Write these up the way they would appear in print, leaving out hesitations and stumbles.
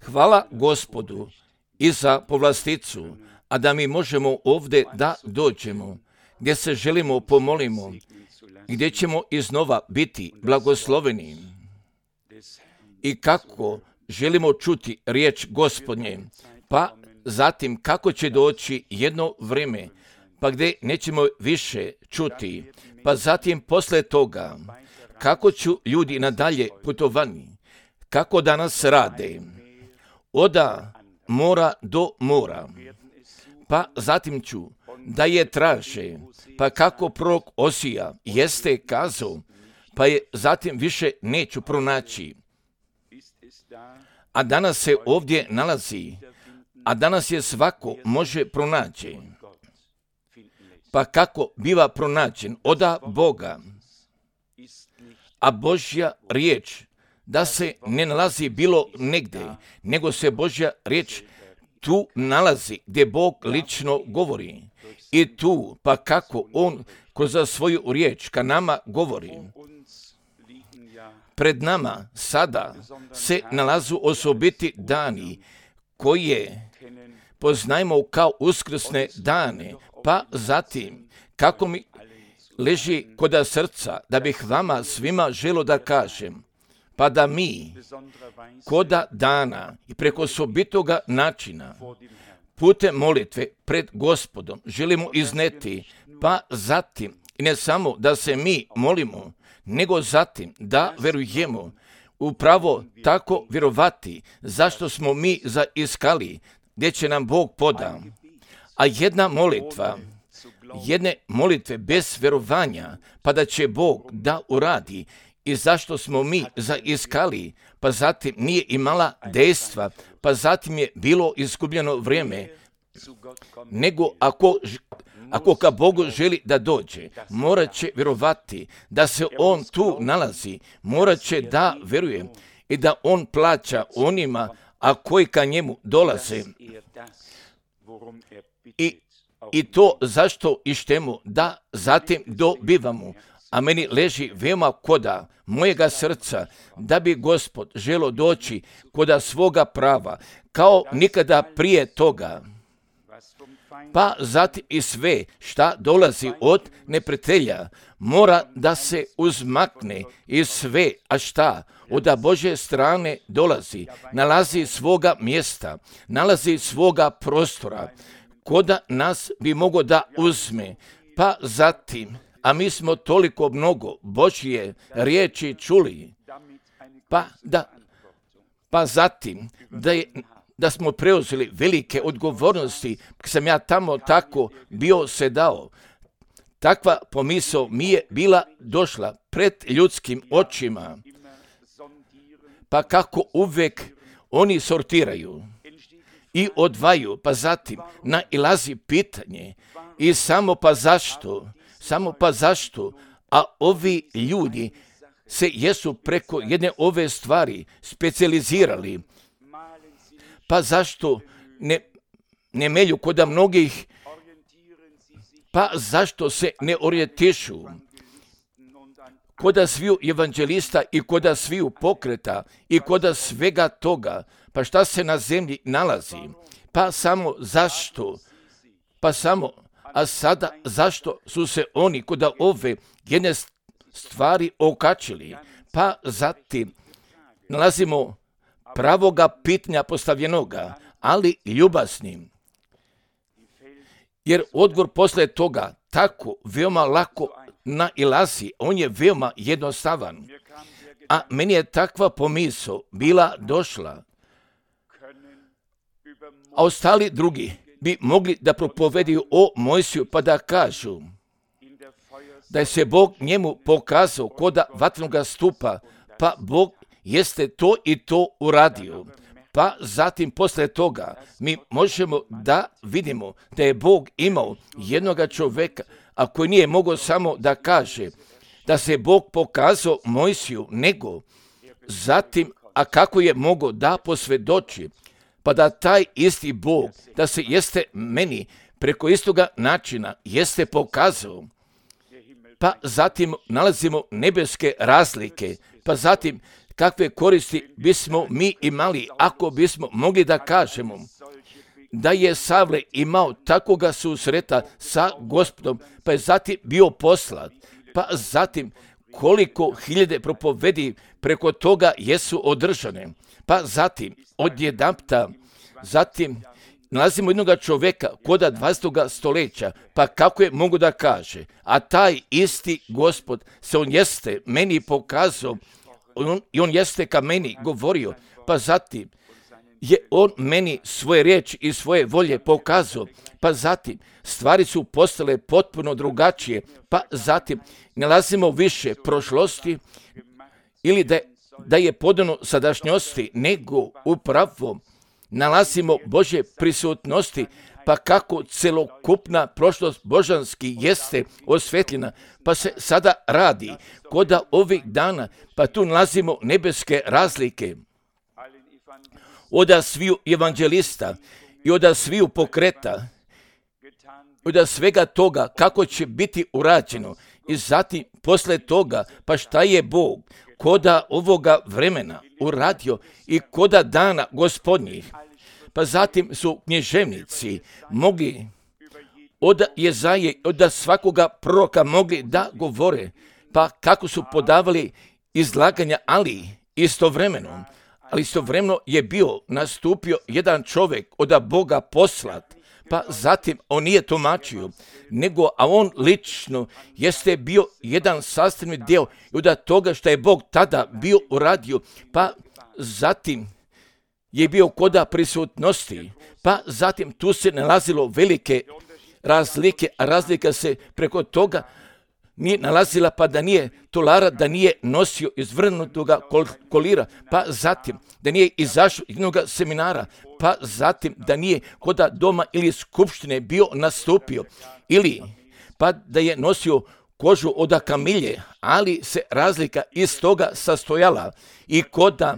Hvala Gospodu i za povlasticu, a da mi možemo ovdje da dođemo, gdje se želimo pomolimo, gdje ćemo iznova biti blagosloveni i kako želimo čuti riječ Gospodnje, pa zatim kako će doći jedno vrijeme, pa gdje nećemo više čuti, pa zatim posle toga kako ću ljudi nadalje putovani, kako danas rade, oda mora do mora, pa zatim ću da je traže, pa kako prorok Osija jeste kazao, pa je zatim više neću pronaći. A danas se ovdje nalazi, a danas je svako može pronaći. Pa kako biva pronađen oda Boga, a Božja riječ da se ne nalazi bilo negdje, nego se Božja riječ tu nalazi gdje Bog lično govori. I tu, pa kako On kroz svoju riječ ka nama govori. Pred nama sada se nalazu osobiti dani koje poznajemo kao uskrsne dane, pa zatim kako mi leži koda srca da bih vama svima želo da kažem, pa da mi koda dana i preko osobitoga načina putem molitve pred Gospodom želimo izneti, pa zatim i ne samo da se mi molimo, nego zatim da verujemo, upravo tako vjerovati zašto smo mi zaiskali, gdje će nam Bog poda. A jedne molitve bez vjerovanja, pa da će Bog da uradi i zašto smo mi zaiskali, pa zatim nije imala dejstva, pa zatim je bilo izgubljeno vrijeme, nego ako ka Bogu želi da dođe, morat će vjerovati da se On tu nalazi, morat će da vjeruje i da On plaća onima, a koji ka njemu dolaze. I to zašto ištemu da zatim dobivamo. A meni leži veoma koda mojega srca da bi Gospod želo doći koda svoga prava, kao nikada prije toga. Pa zatim i sve šta dolazi od neprijatelja mora da se uzmakne i sve, a šta od Božje strane dolazi, nalazi svoga mjesta, nalazi svoga prostora, koda nas bi mogo da uzme, pa zatim, a mi smo toliko mnogo Božje riječi čuli, pa zatim da smo preuzeli velike odgovornosti, sam ja tamo tako bio se dao. Takva pomisao mi je bila došla pred ljudskim očima, pa kako uvek oni sortiraju i odvaju, pa zatim nailazi pitanje i samo pa zašto, a ovi ljudi se jesu preko jedne ove stvari specijalizirali, pa zašto ne melju koda mnogih, pa zašto se ne orijentišu koda sviju evanđelista i koda sviju pokreta i koda svega toga, pa šta se na zemlji nalazi, pa samo zašto, a sada zašto su se oni koda ove jedne stvari okačili, pa zatim nalazimo pravoga pitanja postavljenoga, ali ljubaznim. Jer odgovor posle toga tako veoma lako nailazi, on je veoma jednostavan. A meni je takva pomisao bila došla. A ostali drugi bi mogli da propovedaju o Mojsiju pa da kažu da je se Bog njemu pokazao koda vatrenoga stupa, pa Bog jeste to i to uradio. Pa zatim posle toga mi možemo da vidimo da je Bog imao jednoga čoveka, a koji nije mogao samo da kaže da se Bog pokazao Mojsiju, nego zatim, a kako je mogao da posvjedoči, pa da taj isti Bog, da se jeste meni preko istoga načina jeste pokazao. Pa zatim nalazimo nebeske razlike, pa zatim kakve koristi bismo mi imali ako bismo mogli da kažemo da je Savle imao takvoga susreta sa Gospodom, pa je zatim bio poslat, pa zatim koliko hiljade propovedi preko toga jesu održane, pa zatim odjedanputa, zatim nalazimo jednog čovjeka koda 20. stoljeća, pa kako je mogu da kaže, a taj isti Gospod se on jeste meni pokazao i on jeste ka meni govorio, pa zatim je on meni svoje riječi i svoje volje pokazao, pa zatim stvari su postale potpuno drugačije, pa zatim nalazimo više prošlosti ili da je podano sadašnjosti, nego upravo nalazimo Božje prisutnosti, pa kako celokupna prošlost božanski jeste osvetljena, pa se sada radi koda ovih dana, pa tu nalazimo nebeske razlike od sviju evanđelista i od sviju pokreta, od svega toga kako će biti urađeno i zatim posle toga pa šta je Bog koda ovoga vremena uradio i koda dana gospodnjih. Pa zatim su književnici mogli od Jezaje, od svakoga proroka mogli da govore, pa kako su podavali izlaganja, ali istovremeno je bio nastupio jedan čovjek od Boga poslat, pa zatim on nije tumačio, a on lično jeste bio jedan sastavni dio od toga što je Bog tada bio uradio, pa zatim je bio koda prisutnosti, pa zatim tu se nalazilo velike razlike, a razlika se preko toga nije nalazila, pa da nije tolara, da nije nosio izvrnutoga kolira, pa zatim da nije izašao iz jednog seminara, pa zatim da nije koda doma ili skupštine bio nastupio, ili pa da je nosio kožu od kamilje, ali se razlika iz toga sastojala i koda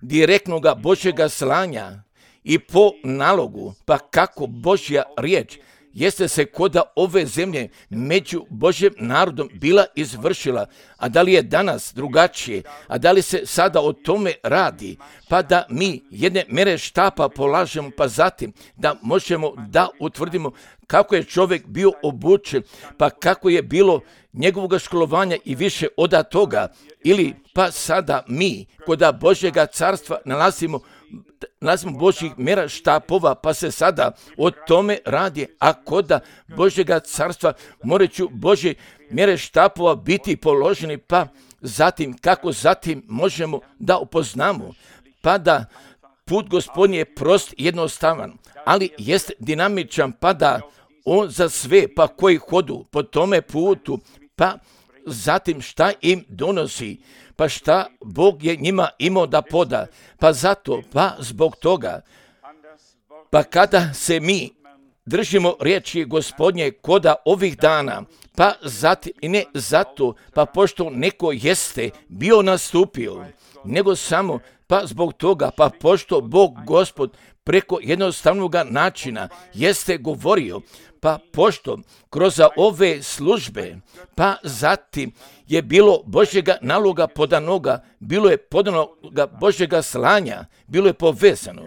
direktnoga Božjega slanja i po nalogu, pa kako Božja riječ jeste se koda ove zemlje među Božjem narodom bila izvršila, a da li je danas drugačije, a da li se sada o tome radi, pa da mi jedne mere štapa polažemo, pa zatim da možemo da utvrdimo kako je čovjek bio obučen, pa kako je bilo njegovog školovanja i više od toga, ili pa sada mi koda Božjega carstva nalazimo Božjih mjera štapova, pa se sada o tome radi, a koda Božjega carstva moraću Božje mjere štapova biti položeni, pa zatim kako zatim možemo da upoznamo, pa da put Gospodnji je prost i jednostavan, ali jest dinamičan, pa da on za sve pa koji hodu po tome putu, pa zatim šta im donosi, pa šta Bog je njima imao da poda, pa zato, pa zbog toga, pa kada se mi držimo riječi Gospodnje koda ovih dana, pa zatim i ne zato, pa pošto neko jeste bio nastupio, nego samo pa zbog toga, pa pošto Bog Gospod preko jednostavnog načina jeste govorio, pa pošto kroz ove službe, pa zatim je bilo Božjega naloga podanoga, bilo je podanoga Božjega slanja, bilo je povezano,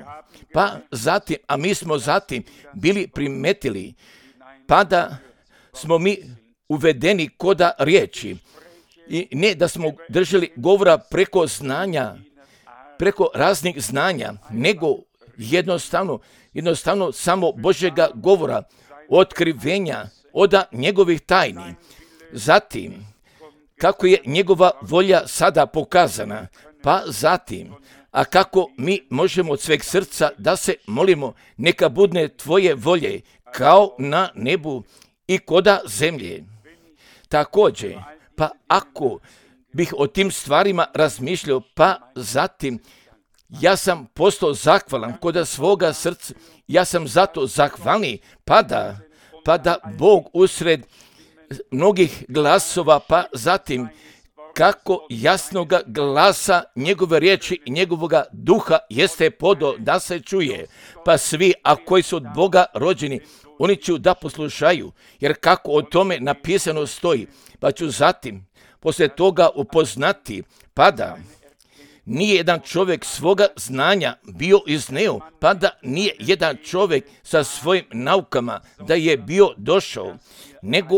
pa zatim, a mi smo zatim bili primetili, pa da smo mi uvedeni koda riječi i ne da smo držali govora preko znanja, preko raznih znanja, nego jednostavno samo Božjega govora, otkrivenja od njegovih tajni. Zatim, kako je njegova volja sada pokazana, pa zatim, a kako mi možemo od sveg srca da se molimo, neka budne tvoje volje kao na nebu i koda zemlje. Također, pa ako bih o tim stvarima razmišljao, pa zatim ja sam postao zahvalan koda svoga srca, ja sam zato zahvalni, pa da Bog usred mnogih glasova, pa zatim kako jasnoga glasa njegove riječi i njegovoga duha jeste podao da se čuje, pa svi, a koji su od Boga rođeni, oni će da poslušaju, jer kako o tome napisano stoji, pa ću zatim poslije toga upoznati, pa da nije jedan čovjek svoga znanja bio izneo, pa da nije jedan čovjek sa svojim naukama da je bio došao, nego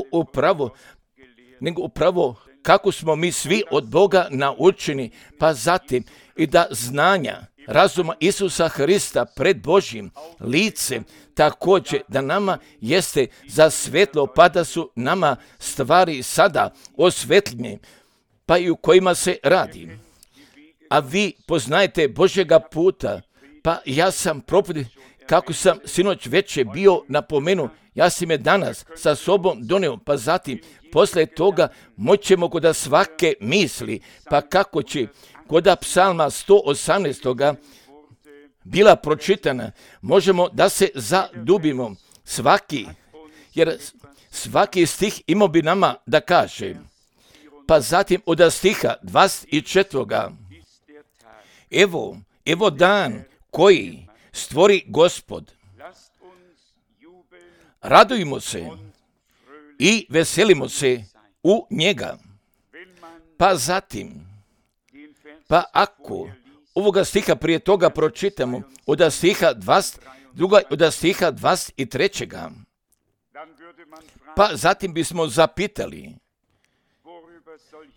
upravo kako smo mi svi od Boga naučeni, pa zatim i da znanja, razuma Isusa Hrista pred Božjim licem, također da nama jeste za svetlo, pa da su nama stvari sada osvetljene, pa i u kojima se radi. A vi poznajete Božjega puta, pa ja sam propovjednik, kako sam sinoć večer bio napomenuo, ja sam je danas sa sobom donio, pa zatim poslije toga moćemo kod svake misli, pa kako će kod psalma 118. bila pročitana, možemo da se zadubimo jer svaki stih imao bi nama da kaže. Pa zatim od stiha 24. Evo dan koji stvori Gospod. Radujmo se i veselimo se u njega. Pa zatim, pa ako ovoga stiha prije toga pročitamo od stiha 23. Pa zatim bismo zapitali,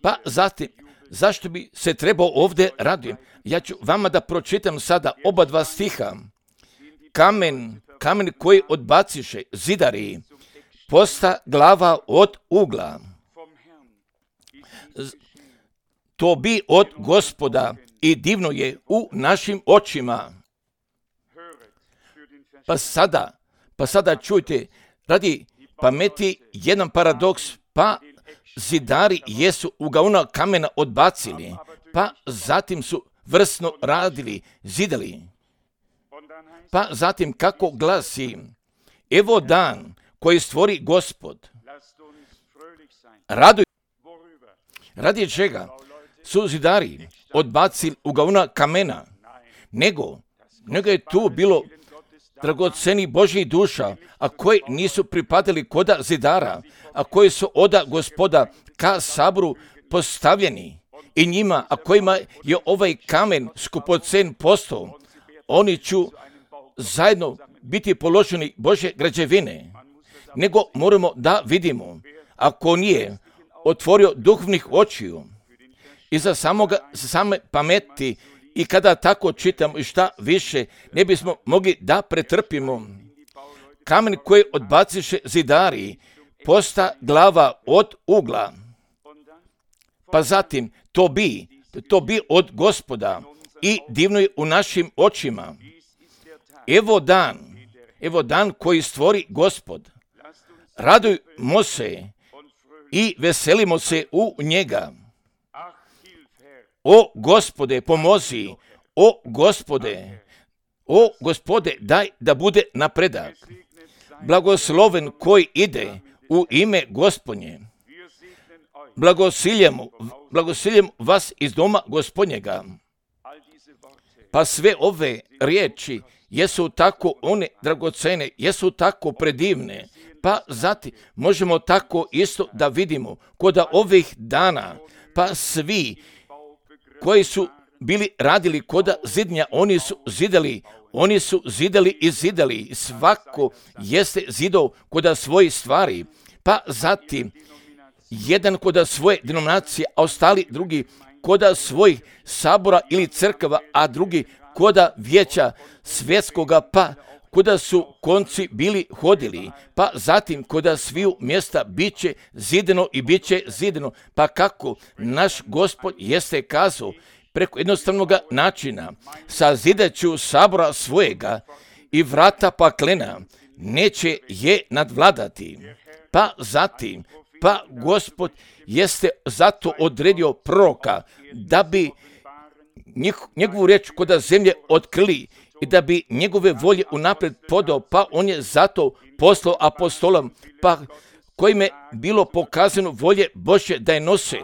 pa zatim, zašto bi se trebao ovdje raditi? Ja ću vama da pročitam sada oba dva stiha. Kamen koji odbaciše zidari, posta glava od ugla. To bi od Gospoda i divno je u našim očima. Pa sada čujte, radi pameti jedan paradoks, pa zidari jesu ugaona kamena odbacili, pa zatim su vrsno radili, zidali. Pa zatim kako glasi, evo dan koji stvori Gospod. Radi čega su zidari odbacili ugaona kamena, nego je tu bilo dragoceni Božjih duša, a koji nisu pripadali koda zidara, a koji su oda Gospoda ka saboru postavljeni i njima, a kojima je ovaj kamen skupocen postao, oni će zajedno biti položeni Božje građevine. Nego moramo da vidimo, ako nije otvorio duhovnih očiju i za same pameti, i kada tako čitamo i šta više, ne bismo mogli da pretrpimo. Kamen koji odbaciše zidari, posta glava od ugla. Pa zatim, to bi od Gospoda i divno je u našim očima. Evo dan koji stvori Gospod. Radujmo se i veselimo se u njega. O Gospode, pomozi, o Gospode, daj da bude napredak. Blagosloven koji ide u ime Gospodnje. Blagosiljam vas iz doma Gospodnjega. Pa sve ove riječi jesu tako one dragocene, jesu tako predivne. Pa zatim možemo tako isto da vidimo kod ovih dana, pa svi koji su bili radili kod zidnja, oni su zidali i zidali. Svako jeste zidao kod svojih stvari. Pa zatim, jedan kod svoje denominacije, a ostali drugi kod svojih sabora ili crkava, a drugi kod vijeća svjetskoga, pa kuda su konci bili hodili, pa zatim kuda sviju mjesta biće zideno i biće zideno. Pa kako naš Gospod jeste kazao, preko jednostavnog načina, sazidaću sabora svojega i vrata paklena neće je nadvladati. Pa zatim, pa Gospod jeste zato odredio proroka da bi njegovu riječ kod zemlje otkrili i da bi njegove volje unaprijed podao, pa on je zato poslao apostolom, pa kojim je bilo pokazano volje Božje da je nose,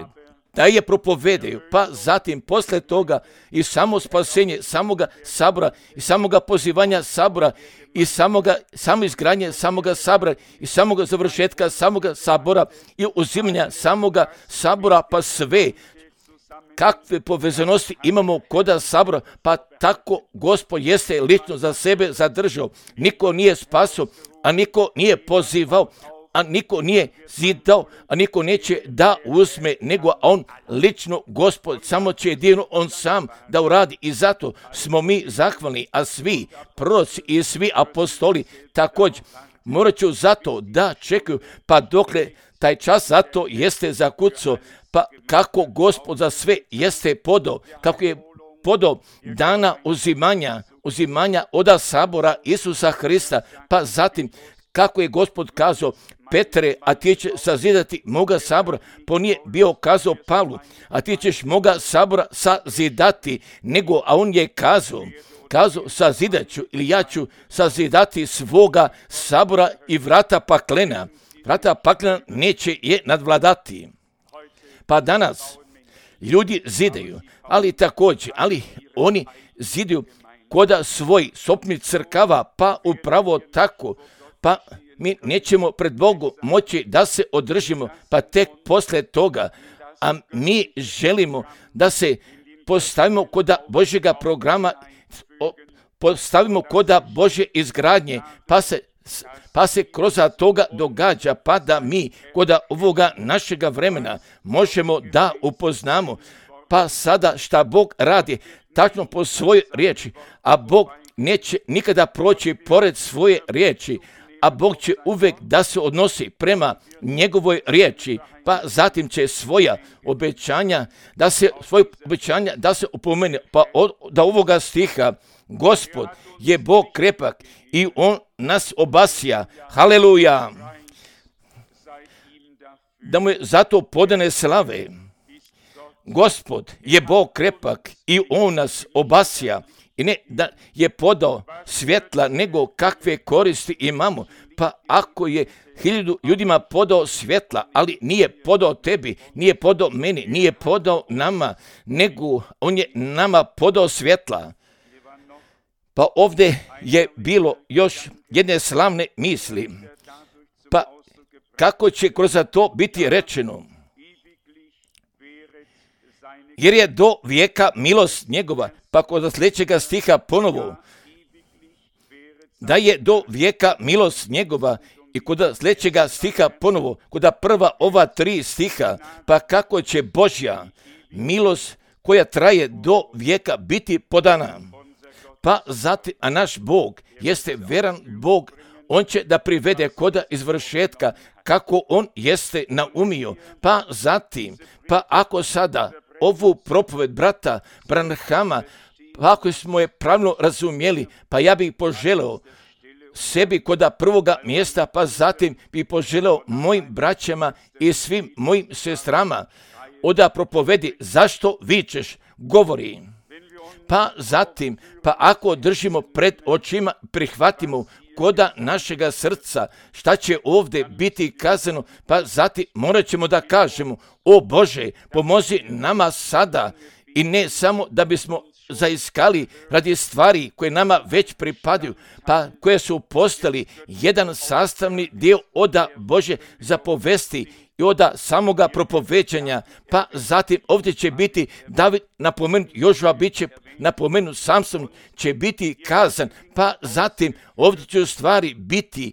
da je propovedaju, pa zatim posle toga i samo spasenje samoga sabora i samoga pozivanja sabora i samo izgradnje samoga sabora i samoga završetka samoga sabora i uzimanja samoga sabora, pa sve kakve povezanosti imamo koda sabora, pa tako Gospod jeste lično za sebe zadržao. Niko nije spasao, a niko nije pozivao, a niko nije zidao, a niko neće da uzme, nego on lično Gospod, samo će jedino on sam da uradi. I zato smo mi zahvalni, a svi proroci i svi apostoli također morat ću zato da čekaju, pa dokle taj čas zato jeste zakucao, pa kako Gospod za sve jeste podao, kako je podao dana uzimanja oda sabora Isusa Hrista, pa zatim kako je Gospod kazao, Petre, a ti će sazidati moga sabora, po nije bio kazao Pavlu, a ti ćeš moga sabora sazidati, nego, a on je kazao, sazidat ću ili ja ću sazidati svoga sabora i vrata paklena neće je nadvladati. Pa danas ljudi zidaju, ali oni zidaju koda svoj sopni crkava, pa upravo tako, pa mi nećemo pred Bogom moći da se održimo, pa tek posle toga, a mi želimo da se postavimo koda Božjega programa, postavimo koda Božje izgradnje, pa se kroz toga događa, pa da mi koda ovoga našega vremena možemo da upoznamo, pa sada šta Bog radi tačno po svojoj riječi, a Bog neće nikada proći pored svoje riječi, a Bog će uvek da se odnosi prema njegovoj riječi, pa zatim će svoja obećanja da se upomene, pa da ovoga stiha Gospod je Bog krepak i on nas obasja. Haleluja! Da mu je zato podane slave. Gospod je Bog krepak i on nas obasja. I ne da je podao svjetla, nego kakve koristi imamo. Pa ako je 1000 ljudima podao svjetla, ali nije podao tebi, nije podao meni, nije podao nama, nego on je nama podao svjetla. Pa ovdje je bilo još jedne slavne misli. Pa kako će kroz to biti rečeno? Jer je do vijeka milost njegova, pa kod sljedećega stiha ponovo, da je do vijeka milost njegova, i kod sljedećega stiha ponovo, kod prva ova 3 stiha, pa kako će Božja milost koja traje do vijeka biti podana. Pa zatim, a naš Bog jeste veran Bog, on će da privede koda izvršetka kako on jeste naumio. Pa zatim, pa ako sada ovu propoved brata Branhama, pa ako smo je pravilno razumjeli, pa ja bih poželeo sebi koda prvoga mjesta, pa zatim bih poželeo mojim braćama i svim mojim sestrama, oda propovedi zašto vičeš, govori. Pa zatim, pa ako držimo pred očima, prihvatimo koda našega srca, šta će ovdje biti kazano, pa zatim morat ćemo da kažemo, o Bože, pomozi nama sada, i ne samo da bismo zaiskali radi stvari koje nama već pripadaju, pa koje su postali jedan sastavni dio oda Bože zapovesti i oda samoga propovećanja, pa zatim ovdje će biti David napomenut, Jožua bit će napomenut, Samson će biti kazan, pa zatim ovdje će u stvari biti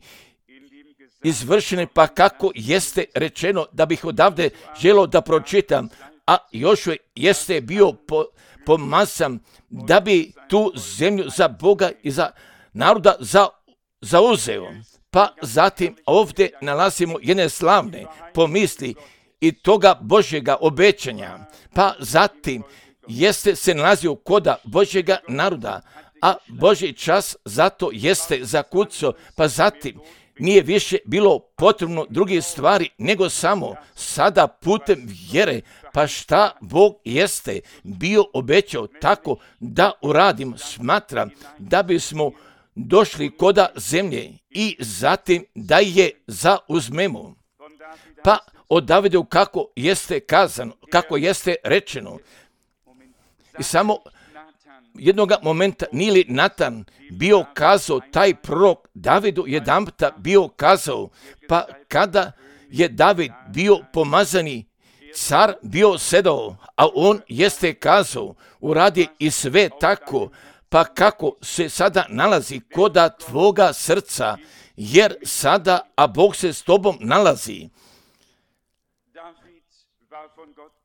izvršene, pa kako jeste rečeno, da bih odavde želio da pročitam, a Jošua jeste bio pomazan da bi tu zemlju za Boga i za naroda zauzeo. Pa zatim ovdje nalazimo jedne slavne pomisli i toga Božjega obećanja. Pa zatim jeste se nalazio koda Božjega naroda, a Božji čas zato jeste zakucao, pa zatim nije više bilo potrebno druge stvari, nego samo sada putem vjere, pa šta Bog jeste bio obećao tako da uradimo, smatram da bismo došli koda zemlje i zatim da je zauzmemo. Pa od Davidu kako jeste kazano, kako jeste rečeno. I samo jednoga momenta nije li Natan bio kazao, taj prorok Davidu jedanputa bio kazao, pa kada je David bio pomazani car bio sedao, a on jeste kazao, uradi i sve tako, pa kako se sada nalazi koda tvoga srca, jer sada, a Bog se s tobom nalazi.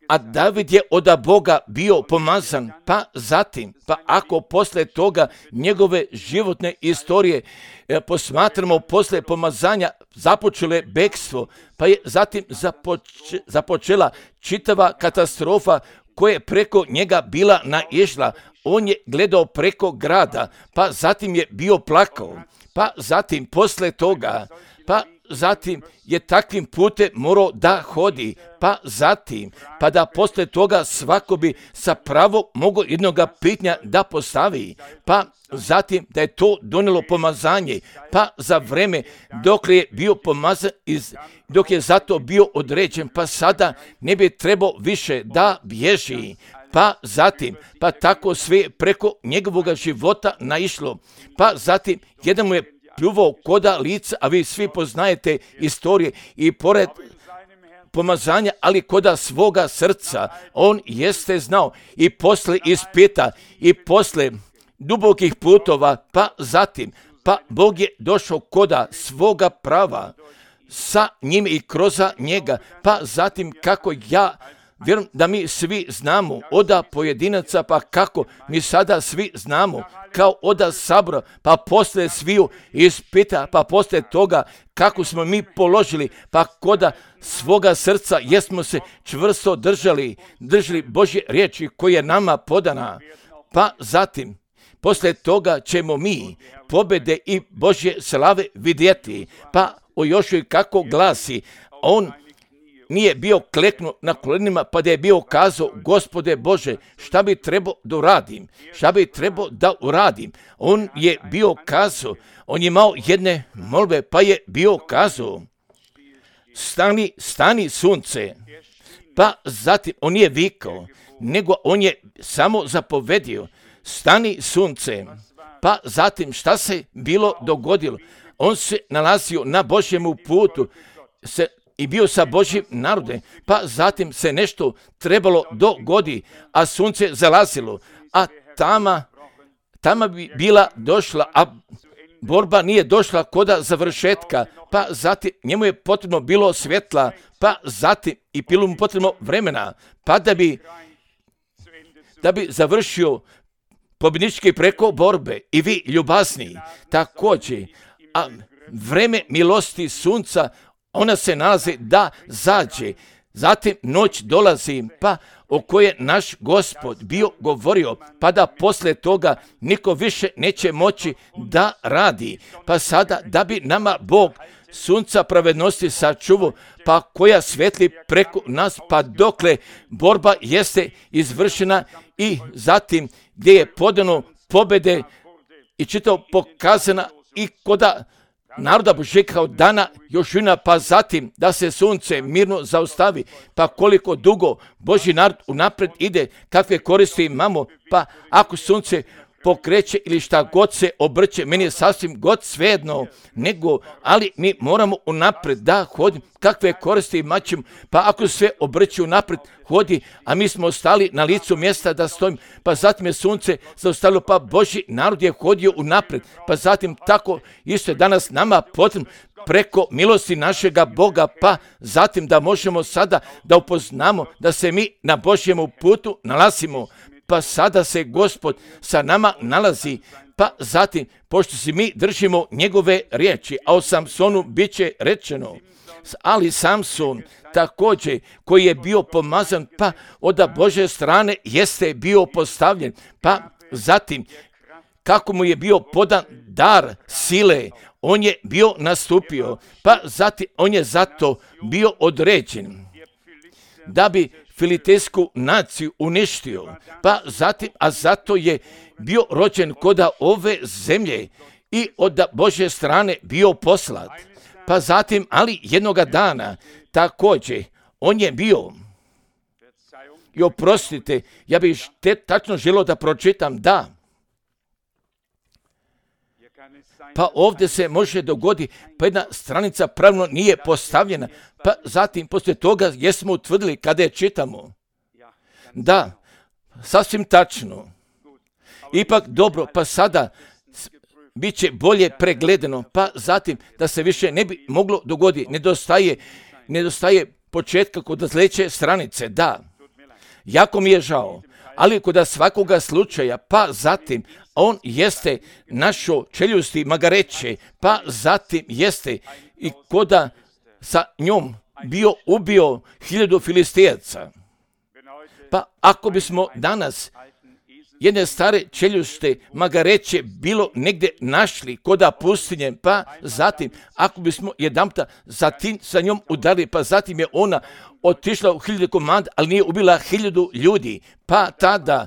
A David je od Boga bio pomazan, pa zatim, pa ako posle toga njegove životne istorije posmatramo posle pomazanja, započelo je bekstvo, pa je zatim započela čitava katastrofa koja je preko njega bila naišla. On je gledao preko grada, pa zatim je bio plakao, pa zatim posle toga, pa zatim je takvim putem morao da hodi, pa zatim, pa da posle toga svako bi sa pravom mogao jednoga pitanja da postavi, pa zatim da je to donijelo pomazanje, pa za vreme dok je bio pomazan, dok je zato bio određen, pa sada ne bi trebao više da bježi, pa zatim, pa tako sve preko njegovog života naišlo, pa zatim jedan mu je pljuvao koda lica, a vi svi poznajete istorije i pored pomazanja, ali koda svoga srca, on jeste znao i posle ispita i posle dubokih putova, pa zatim, pa Bog je došao koda svoga prava sa njim i kroz njega, pa zatim kako ja vjerujem da mi svi znamo oda pojedinaca, pa kako mi sada svi znamo kao oda sabora, pa posle sviju ispita, pa posle toga kako smo mi položili, pa koda svoga srca jesmo se čvrsto držali Božje riječi koja je nama podana, pa zatim posle toga ćemo mi pobjede i Božje slave vidjeti, pa o Jošuji kako glasi, on nije bio kleknuo na kolenima, pa da je bio kazao, Gospode Bože, šta bi trebao da uradim? Šta bi trebao da uradim? On je bio kazao, on je imao jedne molbe, pa je bio kazao, stani sunce. Pa zatim, on nije vikao, nego on je samo zapovedio, stani sunce. Pa zatim, šta se bilo dogodilo? On se nalazio na Božjemu putu, i bio sa Božjim narodom, pa zatim se nešto trebalo dogodi, a sunce zalazilo, a tama bi bila došla, a borba nije došla koda završetka, pa zatim njemu je potrebno bilo svjetla, pa zatim i bilo mu potrebno vremena, pa da bi završio pobjednički preko borbe. I vi ljubazni također, a vreme milosti sunca, ona se nalazi da zađe, zatim noć dolazi, pa o kojoj naš Gospod bio govorio, pa da posle toga niko više neće moći da radi, pa sada da bi nama Bog sunca pravednosti sačuvao, pa koja svetli preko nas, pa dokle borba jeste izvršena i zatim gdje je podano pobjede i čitao pokazana i koda naroda Božjeg kao dana Jošuina, pa zatim da se sunce mirno zaustavi, pa koliko dugo Božji narod unapred ide, kakve koristi imamo, pa ako sunce pokreće ili šta god se obrće, meni je sasvim god svejedno, ali mi moramo unapred da hodimo, kakve koristi imaćemo, pa ako sve obrće unapred hodi, a mi smo ostali na licu mjesta da stojimo, pa zatim je sunce zaustavilo, pa Božji narod je hodio unapred, pa zatim tako isto je danas nama potrebno preko milosti našega Boga, pa zatim da možemo sada da upoznamo da se mi na Božjemu putu nalazimo, pa sada se Gospod sa nama nalazi, pa zatim, pošto se mi držimo njegove riječi, a o Samsonu bit će rečeno, ali Samson također koji je bio pomazan, pa od Božje strane jeste bio postavljen, pa zatim kako mu je bio podan dar sile, on je bio nastupio, pa zatim on je zato bio određen da bi filistejsku naciju uništio, pa zatim, a zato je bio rođen koda ove zemlje i od Božje strane bio poslat. Pa zatim, ali jednoga dana također on je bio, i oprostite, ja bih tačno želio da pročitam, da Pa ovdje se može dogoditi, pa jedna stranica pravilno nije postavljena, pa zatim poslije toga jesmo utvrdili kada je čitamo. Da, sasvim tačno. Ipak dobro, pa sada bit će bolje pregledano, pa zatim da se više ne bi moglo dogoditi. Nedostaje početka kod sljedeće stranice, da. Jako mi je žao, ali kod svakoga slučaja, pa zatim on jeste našo čeljusti magareće, pa zatim jeste i koda sa njom ubio 1000 Filistijaca. Pa ako bismo danas jedne stare čeljušte magareće bilo negdje našli koda pustinje, pa zatim ako bismo jedanputa sa njom udarili, pa zatim je ona otišla u 1000 komada, ali nije ubila 1000 ljudi, pa tada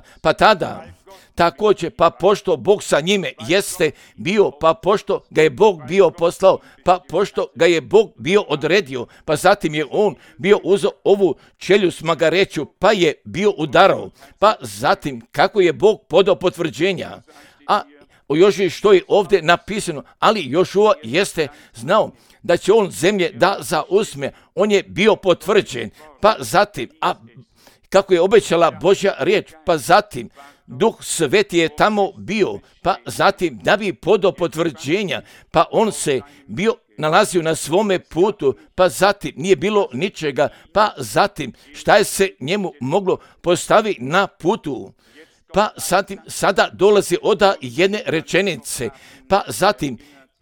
također, pa pošto Bog sa njime jeste bio, pa pošto ga je Bog bio poslao, pa pošto ga je Bog bio odredio, pa zatim je on bio uzeo ovu čeljust magareću, pa je bio udarao, pa zatim kako je Bog podao potvrđenja, a o Jožiji što je ovdje napisano, ali Jošua jeste znao da će on zemlje da zauzme, on je bio potvrđen, pa zatim, a kako je obećala Božja riječ, pa zatim Duh Sveti je tamo bio, pa zatim da bi podao potvrđenja, pa on se bio nalazio na svome putu, pa zatim nije bilo ničega, pa zatim šta je se njemu moglo postaviti na putu, pa zatim sada dolazi od jedne rečenice, pa zatim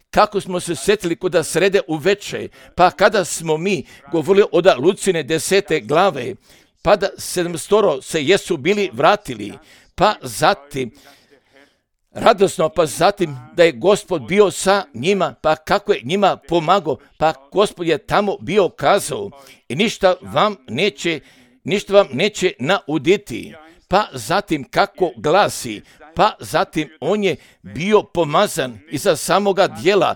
kako smo se sjetili kod srede uveče, pa kada smo mi govorili od Lucine 10. glave, pa da 700 se jesu bili vratili, pa zatim radosno, pa zatim da je Gospod bio sa njima, pa kako je njima pomagao, pa Gospod je tamo bio kazao i ništa vam neće nauditi, pa zatim kako glasi, pa zatim on je bio pomazan iza samoga djela,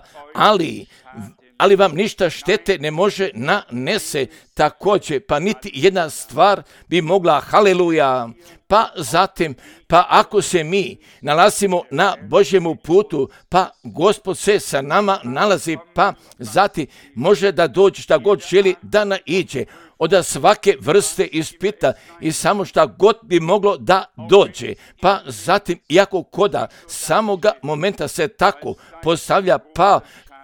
ali vam ništa štete ne može nanese također, pa niti jedna stvar bi mogla, haleluja, pa zatim, pa ako se mi nalazimo na Božjemu putu, pa Gospod se sa nama nalazi, pa zatim može da dođe šta god želi da naiđe, od svake vrste ispita i samo šta god bi moglo da dođe, pa zatim iako koda samoga momenta se tako postavlja, pa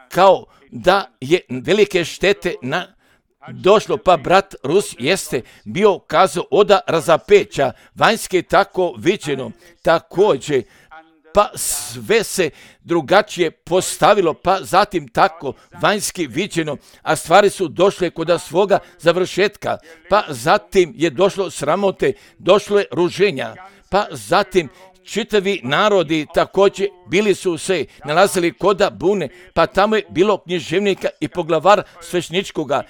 kao da je velike štete došlo, pa brat Rus jeste bio kazao od razapeća, vanjske tako viđeno, također, pa sve se drugačije postavilo, pa zatim tako vanjski viđeno, a stvari su došle kod svoga završetka, pa zatim je došlo sramote, došlo je ruženja, pa zatim čitavi narodi također bili su se nalazili koda bune, pa tamo je bilo književnika i poglavar svešničkoga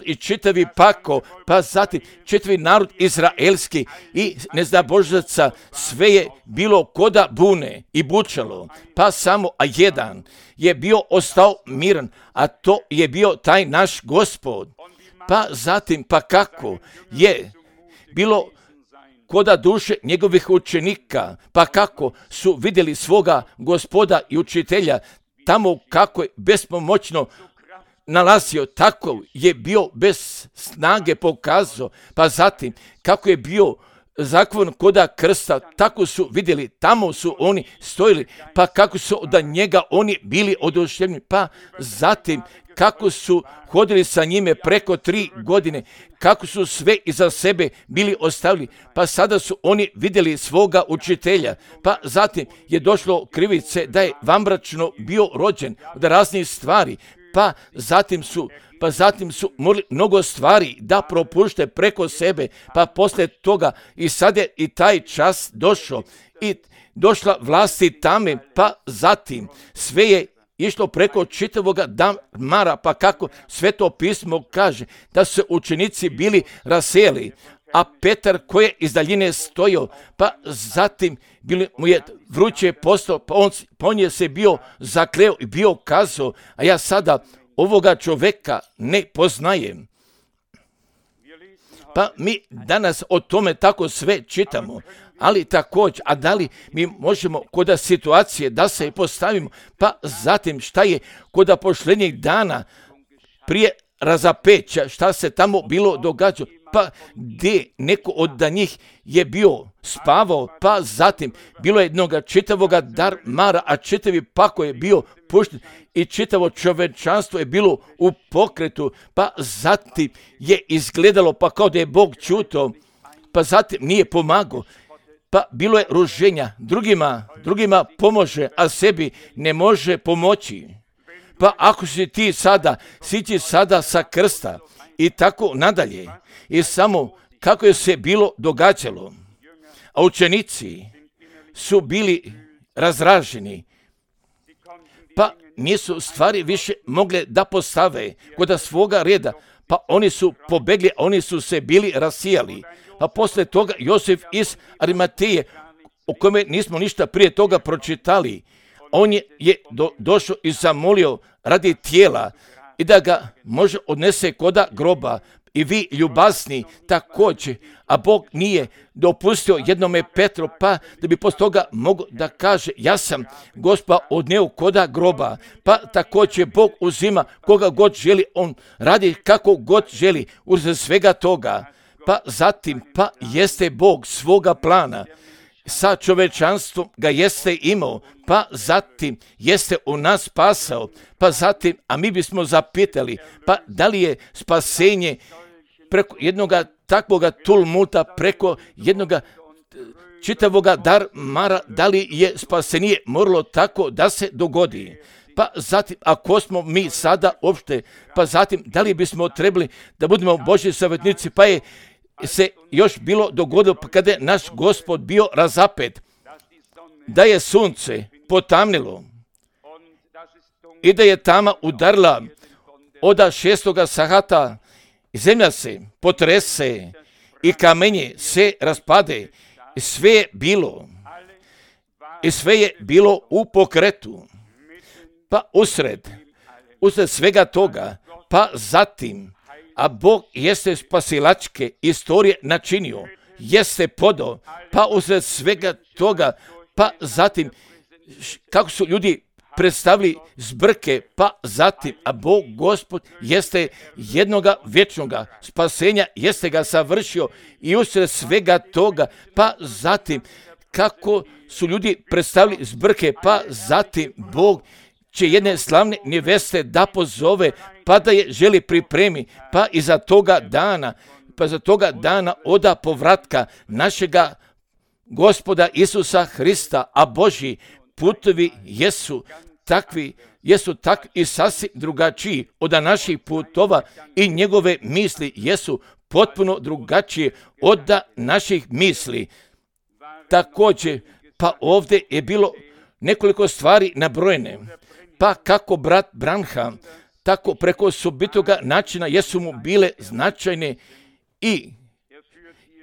i čitavi pako, pa zatim čitavi narod izraelski i nezdabožaca, sve je bilo koda bune i bučalo, pa samo jedan je bio ostao miran, a to je bio taj naš Gospod. Pa zatim, pa kako je bilo koda duše njegovih učenika, pa kako su vidjeli svoga Gospoda i učitelja, tamo kako je bespomoćno nalazio, tako je bio bez snage pokazao, pa zatim kako je bio zakon koda krsta, tako su vidjeli, tamo su oni stojili, pa kako su od njega oni bili oduševljeni, pa zatim kako su hodili sa njime preko 3 godine, kako su sve iza sebe bili ostavili, pa sada su oni vidjeli svoga učitelja, pa zatim je došlo krivice da je vanbračno bio rođen od raznih stvari, pa zatim su morali mnogo stvari da propušte preko sebe, pa poslije toga i sad je i taj čas došao i došla vlasti tame, pa zatim sve je išlo preko čitavoga damara, pa kako Sveto pismo kaže da su učenici bili raseli, a Petar koji je iz daljine stojao, pa zatim mu je vruće postao, pa on je se bio zakleo i bio kazao, a ja sada ovoga čovjeka ne poznajem. Pa mi danas o tome tako sve čitamo, ali također, a da li mi možemo kod situacije da se postavimo, pa zatim šta je kod posljednjih dana prije razapeća, šta se tamo bilo događalo, pa gdje neko od njih je bio spavao, pa zatim bilo je jednoga čitavoga darmara, a čitavi pako je bio pušten i čitavo čovečanstvo je bilo u pokretu, pa zatim je izgledalo pa kao da je Bog čuto, pa zatim nije pomagao, pa bilo je ruženja, drugima pomože, a sebi ne može pomoći. Pa ako si ti sada, siđi sada sa krsta i tako nadalje. I samo kako je se bilo događalo. A učenici su bili razraženi. Pa nisu stvari više mogle da postave kod svoga reda. Pa oni su pobegli, oni su se bili rasijali. A posle toga Josif iz Arimateje, o kome nismo ništa prije toga pročitali, on je došao i zamolio radi tijela i da ga može odnese koda groba. I vi ljubazni također, a Bog nije dopustio jednome Petru, pa da bi poslije toga mogao da kaže ja sam Gospa odneo koda groba, pa također Bog uzima koga god želi, on radi kako god želi uz svega toga, pa zatim pa jeste Bog svoga plana. Sa čovečanstvom ga jeste imao, pa zatim jeste u nas spasao, pa zatim, a mi bismo zapitali, pa da li je spasenje preko jednoga takvoga tulmuta, preko jednoga čitavoga darmara, da li je spasenje moralo tako da se dogodi? Pa zatim, ako smo mi sada uopšte, pa zatim, da li bismo trebali da budemo Božji savjetnici, pa je se još bilo dogodilo kada je naš Gospod bio razapet, da je sunce potamnilo i da je tama udarila od 6. sahata, zemlja se potrese i kamenje se raspade i sve je bilo u pokretu. Pa usred svega toga, pa zatim, a Bog jeste spasilačke istorije načinio, jeste podao, pa usred svega toga, pa zatim, kako su ljudi predstavili zbrke, pa zatim, a Bog Gospod jeste jednoga vječnoga spasenja, jeste ga savršio i usred svega toga, pa zatim, kako su ljudi predstavili zbrke, pa zatim Bog će jedne slavne neveste da pozove, pa da je želi pripremi, pa i za toga dana oda povratka našega Gospoda Isusa Hrista, a Božji putovi jesu takvi i sasvim drugačiji od naših putova i njegove misli jesu potpuno drugačije od naših misli. Također, pa ovdje je bilo nekoliko stvari nabrojene, pa kako brat Branham, tako preko osobitoga načina jesu mu bile značajne i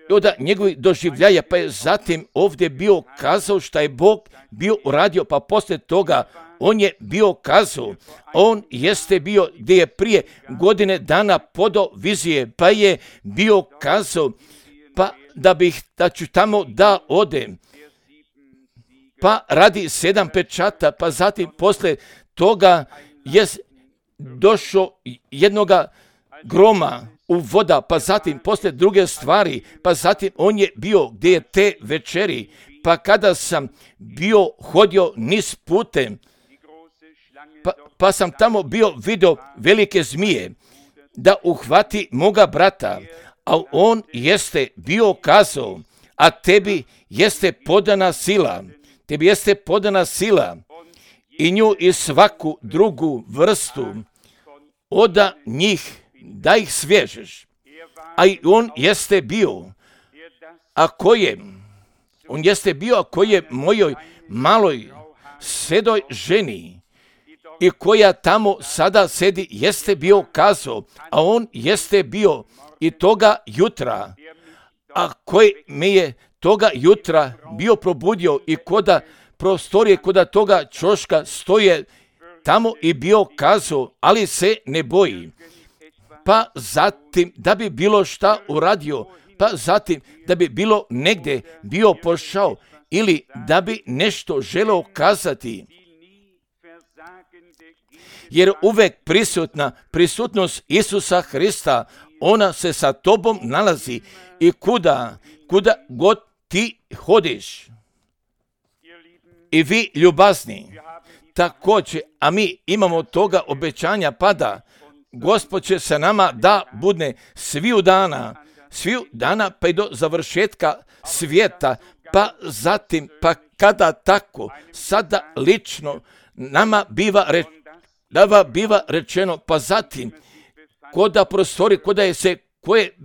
od njegovih doživljaja, pa je zatim ovdje bio kazao šta je Bog bio uradio, pa poslije toga on je bio kazao, on jeste bio gdje je prije godine dana podao vizije, pa je bio kazao, pa da ću tamo da odem, pa radi 7 pečata, pa zatim poslije toga je došao jednoga groma u voda, pa zatim poslije druge stvari, pa zatim on je bio gdje je te večeri, pa kada sam bio hodio niz putem, pa sam tamo bio vidio velike zmije da uhvati moga brata, a on jeste bio kazao, a tebi jeste podana sila i nju i svaku drugu vrstu od njih da ih svežeš. A i on jeste bio, ako je mojoj maloj sedoj ženi i koja tamo sada sedi jeste bio kazao, a on jeste bio i toga jutra, a koji me je toga jutra bio probudio i koda prostorije, koda toga čoška stoje tamo i bio kazao, ali se ne boji. Pa zatim, da bi bilo šta uradio, pa zatim da bi bilo negdje bio pošao ili da bi nešto želeo kazati. Jer uvek prisutnost Isusa Hrista, ona se sa tobom nalazi i kuda god ti hodiš. I vi ljubazni, također, a mi imamo toga obećanja pada, Gospod će sa nama da bude sviju dana pa i do završetka svijeta, pa zatim, pa kada tako, sada lično nama biva rečeno, pa zatim, koda prostori, koda je se ko je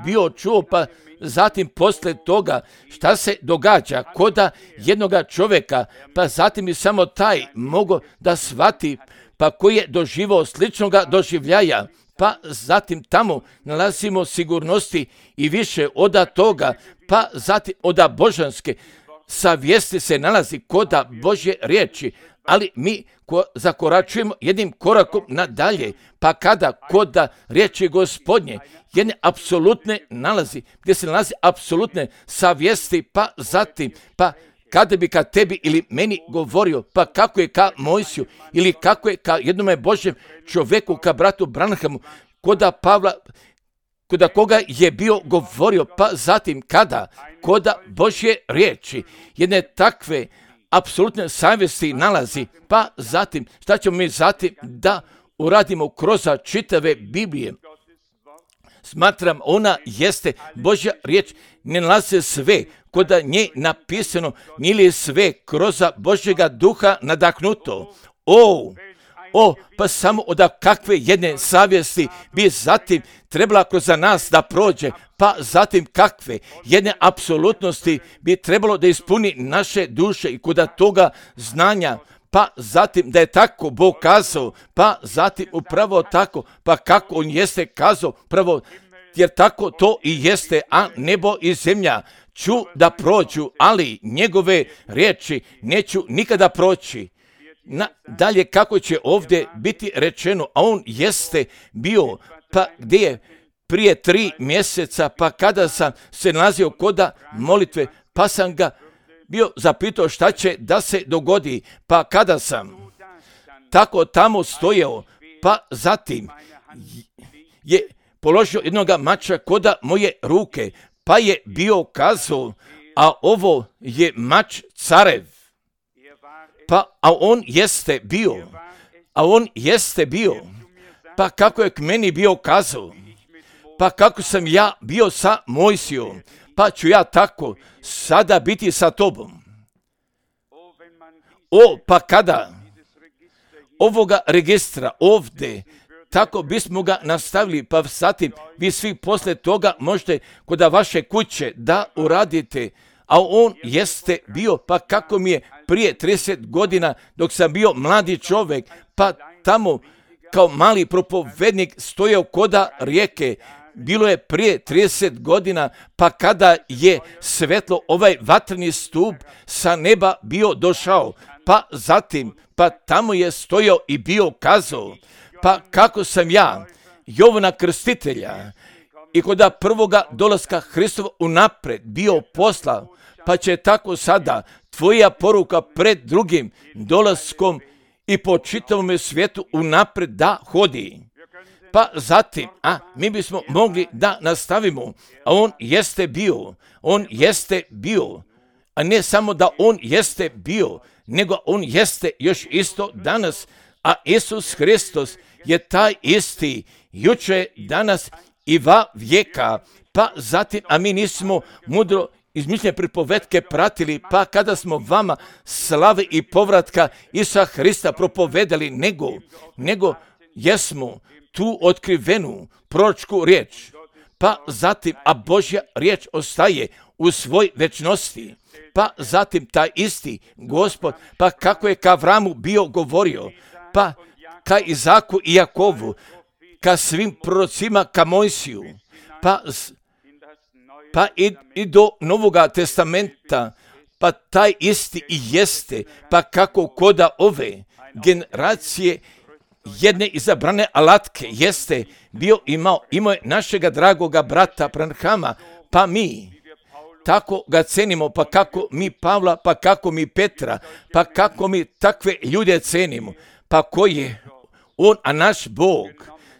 bio čuo, pa zatim posle toga šta se događa koda jednoga čovjeka, pa zatim i samo taj mogo da shvati, pa koji je doživao sličnoga doživljaja, pa zatim tamo nalazimo sigurnosti i više od toga, pa zatim od božanske savjesti se nalazi koda Božje riječi, ali mi zakoračujemo jednim korakom nadalje, pa kada koda riječi Gospodnje jedne apsolutne nalazi, gdje se nalazi apsolutne savjesti, pa zatim, pa kada bi ka tebi ili meni govorio, pa kako je ka Mojsiju ili kako je ka jednome Božjem čovjeku, ka bratu Branhamu, koda Pavla, koda koga je bio govorio, pa zatim koda Božje riječi jedne takve apsolutne savjesti nalazi, pa zatim šta ćemo mi zatim da uradimo kroz čitave Biblije. Smatram, ona jeste Božja riječ, ne nalaze sve koda nje napisano, nije sve kroz Božjega duha nadahnuto. Pa samo od kakve jedne savjesti bi zatim trebala kroz nas da prođe, pa zatim kakve jedne apsolutnosti bi trebalo da ispuni naše duše i koda toga znanja, pa zatim da je tako Bog kazao, pa zatim upravo tako, pa kako on jeste kazao, pravo, jer tako to i jeste, a nebo i zemlja ću da prođu, ali njegove riječi neću nikada proći. Dalje kako će ovdje biti rečeno, a on jeste bio, pa gdje je prije 3 mjeseca, pa kada sam se nalazio koda molitve, pa sam ga bio zapitao šta će da se dogodi, pa kada sam tako tamo stojao, pa zatim je položio jednoga mača koda moje ruke, pa je bio kazao, a ovo je mač carev. A on jeste bio, pa kako je k meni bio kazao, pa kako sam ja bio sa Mojsijom, pa ću ja tako sada biti sa tobom. Pa kada ovoga registra ovdje, tako bismo ga nastavili, pa zatim vi svi posle toga možete kod vaše kuće da uradite, a on jeste bio, pa kako mi je prije 30 godina dok sam bio mladi čovjek, pa tamo kao mali propovednik stojao koda rijeke, bilo je prije 30 godina, pa kada je svetlo ovaj vatreni stup sa neba bio došao, pa zatim, pa tamo je stojao i bio kazao, pa kako sam ja, Jovana Krstitelja, i kod prvoga dolaska Hristova unapred bio poslao, pa će tako sada tvoja poruka pred drugim dolaskom i po čitavom svijetu unapred da hodi. Pa zatim, mi bismo mogli da nastavimo, a on jeste bio, a ne samo da on jeste bio, nego on jeste još isto danas, a Isus Hristos je taj isti, juče, danas i va vijeka, pa zatim, a mi nismo mudro izmišljene pripovetke pratili, pa kada smo vama slave i povratka Isusa Hrista propovedali, nego jesmo tu otkrivenu proročku riječ, pa zatim, a Božja riječ ostaje u svoj večnosti, pa zatim taj isti Gospod, pa kako je ka Avramu bio govorio, pa ka Izaku i Jakovu, ka svim prorocima, ka Mojsiju, pa i do Novoga testamenta, pa taj isti i jeste, pa kako koda ove generacije jedne izabrane alatke jeste imao je našega dragoga brata Branhama, pa mi tako ga cenimo, pa kako mi Pavla, pa kako mi Petra, pa kako mi takve ljude cenimo, pa ko je on, a naš Bog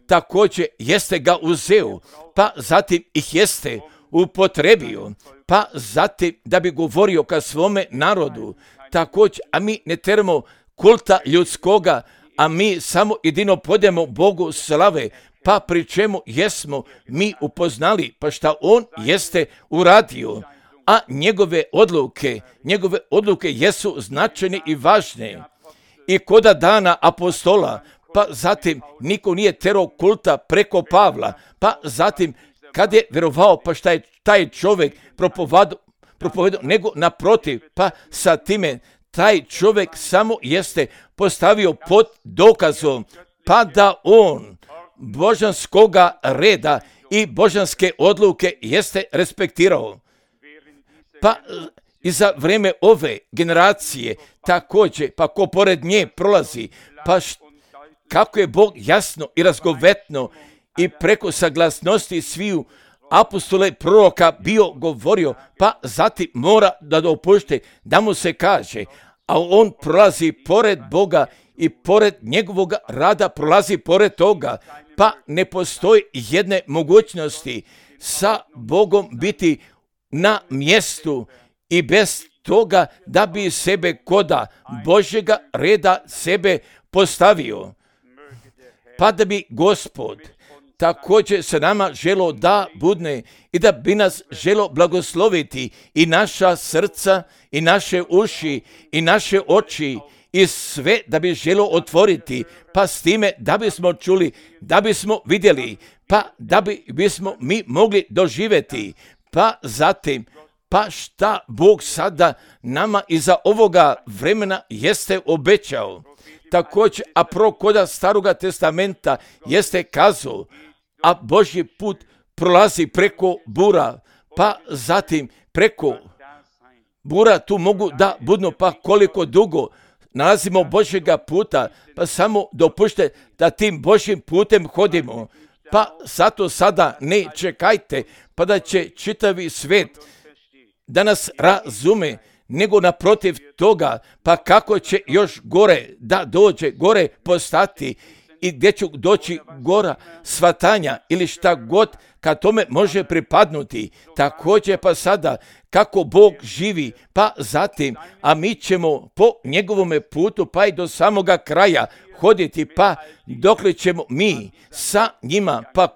također jeste ga uzeo, pa zatim ih jeste upotrebio, pa zatim da bi govorio ka svome narodu, također, a mi ne teramo kulta ljudskoga, a mi samo jedino podemo Bogu slave, pa pri čemu jesmo mi upoznali, pa šta on jeste uradio, a njegove odluke jesu značajne i važne. I koda dana apostola, pa zatim niko nije terao kulta preko Pavla, pa zatim kad je vjerovao, pa šta je taj čovjek propovedao, nego naprotiv, pa sa time taj čovjek samo jeste postavio pod dokazom, pa da on božanskoga reda i božanske odluke jeste respektirao. Pa i za vrijeme ove generacije također, pa ko pored nje prolazi, pa kako je Bog jasno i razgovetno i preko saglasnosti sviju apostola i proroka bio govorio, pa zatim mora da dopušte da mu se kaže, a on prolazi pored Boga i pored njegovog rada prolazi pored toga, pa ne postoji jedne mogućnosti sa Bogom biti na mjestu i bez toga da bi sebe koda Božjega reda sebe postavio. Pa da bi Gospod također se nama želo da budne i da bi nas želo blagosloviti i naša srca i naše uši i naše oči i sve da bi želo otvoriti, pa s time da bismo čuli, da bismo vidjeli, pa da bismo mi mogli doživjeti, pa zatim pa šta Bog sada nama iza ovoga vremena jeste obećao. Također, a koda Staroga testamenta jeste kazao, a Božji put prolazi preko bura, pa zatim preko bura tu mogu da budno, pa koliko dugo nalazimo Božjega puta, pa samo dopušte da tim Božjim putem hodimo. Pa zato sada ne čekajte, pa da će čitavi svijet da nas razume, nego naprotiv toga, pa kako će još gore da dođe, gore postati i gdje će doći gora svatanja ili šta god kad tome može pripadnuti. Također pa sada kako Bog živi, pa zatim, a mi ćemo po njegovome putu pa i do samoga kraja hoditi, pa dokle ćemo mi sa njima, pa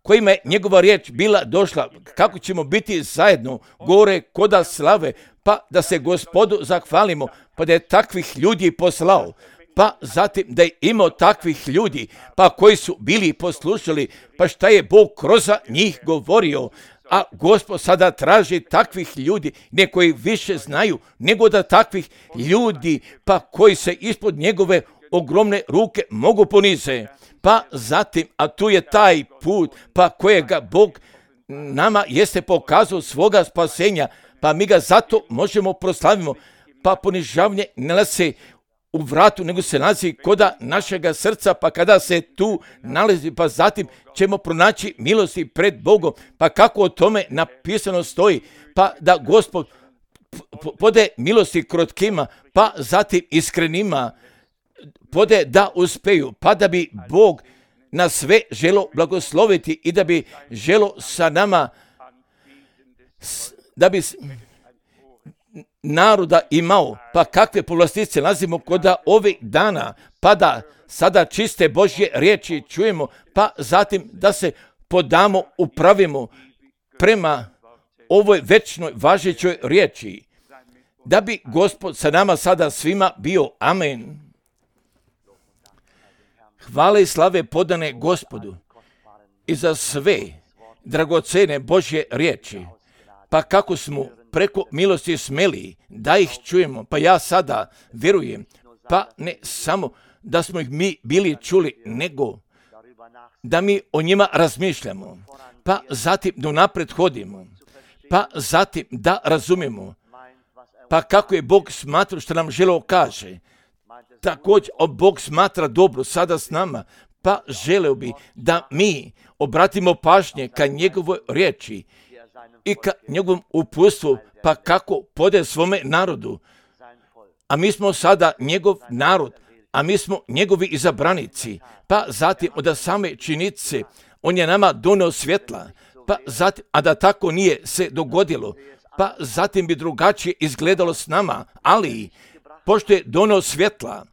kojima je njegova riječ bila došla, kako ćemo biti zajedno gore koda slave, pa da se Gospodu zahvalimo, pa da je takvih ljudi poslao, pa zatim da je imao takvih ljudi, pa koji su bili poslušali, pa šta je Bog kroz njih govorio, a Gospod sada traži takvih ljudi, ne koji više znaju, nego da takvih ljudi, pa koji se ispod njegove ogromne ruke mogu ponize. Pa zatim, a tu je taj put, pa kojega Bog nama jeste pokazao svoga spasenja, pa mi ga zato možemo proslavimo, pa ponižavanje ne nalazi u vratu, nego se nalazi koda našega srca, pa kada se tu nalazi, pa zatim ćemo pronaći milosti pred Bogom, pa kako o tome napisano stoji, pa da Gospod pode milosti krotkima, pa zatim iskrenima, pode da uspeju, pa da bi Bog na sve želo blagosloviti i da bi želo sa nama, da bi naroda imao, pa kakve povlastice nalazimo koda ovih dana, pa da sada čiste Božje riječi čujemo, pa zatim da se podamo, upravimo prema ovoj večnoj važećoj riječi, da bi Gospod sa nama sada svima bio. Amen. Hvala i slave podane Gospodu i za sve dragocene Božje riječi, pa kako smo preko milosti smeli da ih čujemo, pa ja sada vjerujem, pa ne samo da smo ih mi bili čuli, nego da mi o njima razmišljamo, pa zatim da napred hodimo, pa zatim da razumijemo, pa kako je Bog smatrao što nam želeo kaže, također Bog smatra dobro sada s nama, pa želeo bi da mi obratimo pažnje ka njegovoj riječi i ka njegovom uputstvu, pa kako podaje svome narodu. A mi smo sada njegov narod, a mi smo njegovi izabranici, pa zatim od same činjenice on je nama doneo svjetla, pa zatim, a da tako nije se dogodilo, pa zatim bi drugačije izgledalo s nama, ali pošto je doneo svjetla,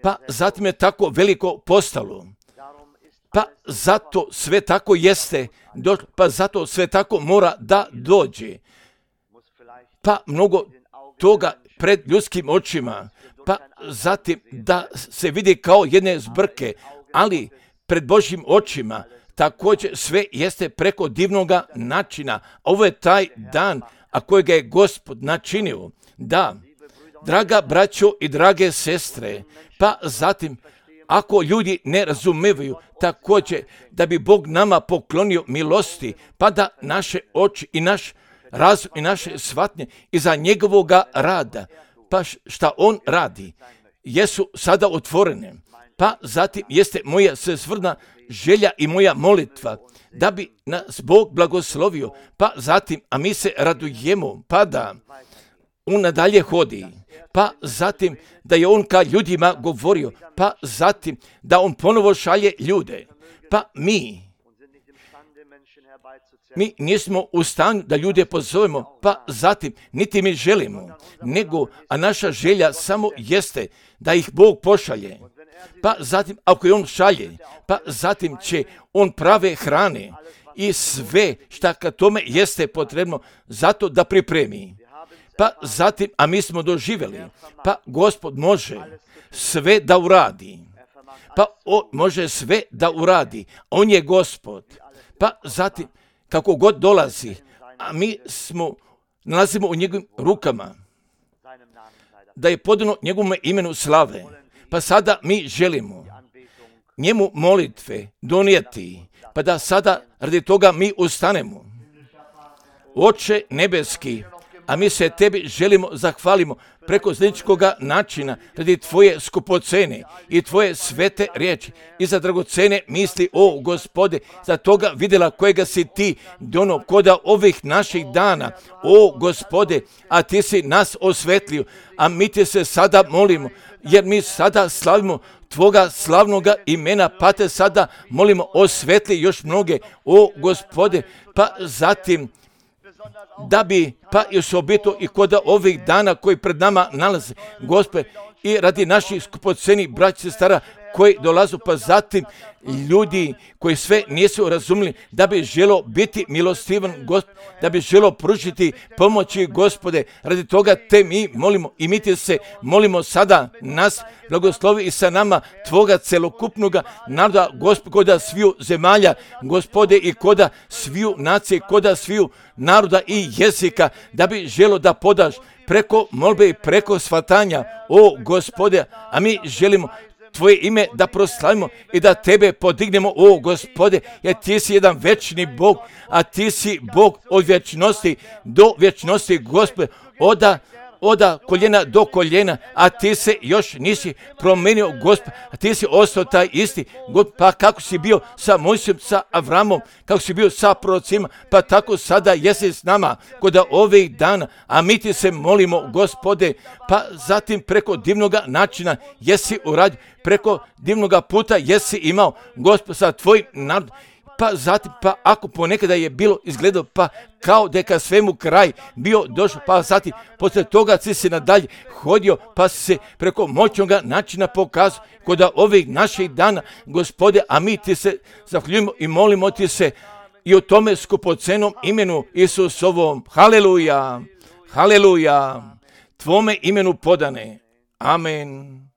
pa zatim je tako veliko postalo, pa zato sve tako jeste, pa zato sve tako mora da dođe, pa mnogo toga pred ljudskim očima, pa zatim da se vidi kao jedne zbrke, ali pred Božjim očima također sve jeste preko divnoga načina. Ovo je taj dan, a kojega je Gospod načinio. Da, draga braćo i drage sestre, pa zatim ako ljudi ne razumevaju također da bi Bog nama poklonio milosti, pa da naše oči i naš razum i naše shvatnje iza njegovoga rada, pa šta on radi, jesu sada otvorene. Pa zatim jeste moja svesrdna želja i moja molitva da bi nas Bog blagoslovio, pa zatim, a mi se radujemo, pa da on nadalje hodi, pa zatim da je on ka ljudima govorio, pa zatim da on ponovo šalje ljude, pa mi nismo u stanju da ljude pozovemo, pa zatim niti mi želimo, nego, a naša želja samo jeste da ih Bog pošalje. Pa zatim, ako je on šalje, pa zatim će on prave hrane i sve šta ka tome jeste potrebno zato da pripremi. Pa zatim, a mi smo doživjeli, pa Gospod može sve da uradi. Pa on može sve da uradi. On je Gospod. Pa zatim, kako god dolazi, a mi nalazimo u njegovim rukama, da je podano njegovom imenu slave. Pa sada mi želimo njemu molitve donijeti, pa da sada radi toga mi ustanemo. Oče nebeski, a mi se tebi želimo zahvalimo preko zničkoga načina radi tvoje skupocene i tvoje svete riječi i za dragocene misli, o Gospode, za toga vidjela kojega si ti dono koda ovih naših dana, o Gospode, a ti si nas osvetlio, a mi ti se sada molimo, jer mi sada slavimo tvoga slavnoga imena, pa te sada molimo osvetli još mnoge, o Gospode, pa zatim da bi, pa i osobito i kod ovih dana koji pred nama nalaze, Gospode, i radi naših skupocenih braća i sestara koji dolazu, pa zatim ljudi koji sve nisu razumili, da bi želo biti milostivan, Gospod, da bi želo pružiti pomoći, Gospode, radi toga te mi molimo i mi ti se molimo sada, nas blagoslovi i sa nama tvoga celokupnoga naroda, Gospod, koda sviju zemalja, Gospode, i koda sviju nacije, koda sviju naroda i jezika, da bi želo da podaš preko molbe i preko shvatanja, o Gospode, a mi želimo tvoje ime da proslavimo i da tebe podignemo, o Gospode, jer ti si jedan večni Bog, a ti si Bog od vječnosti do vječnosti, Gospode, od koljena do koljena, a ti se još nisi promenio, Gospod, a ti si ostao taj isti, Gospod, pa kako si bio sa Mojsijem, sa Avramom, kako si bio sa prorocima, pa tako sada jesi s nama kod ovih dana, a mi ti se molimo, Gospode, pa zatim preko divnoga načina jesi uradio, preko divnoga puta jesi imao, Gospod, sa tvojim narodom, pa zatim, pa ako ponekada je bilo izgledao, pa kao da je ka svemu kraj bio došao, pa zatim, poslije toga si se nadalje hodio, pa si se preko moćnoga načina pokazao kod ovih naših dana, Gospode, a mi ti se zahvaljujemo i molimo ti se i o tome skupocenom imenu Isusovom. Haleluja, haleluja, tvome imenu podane. Amen.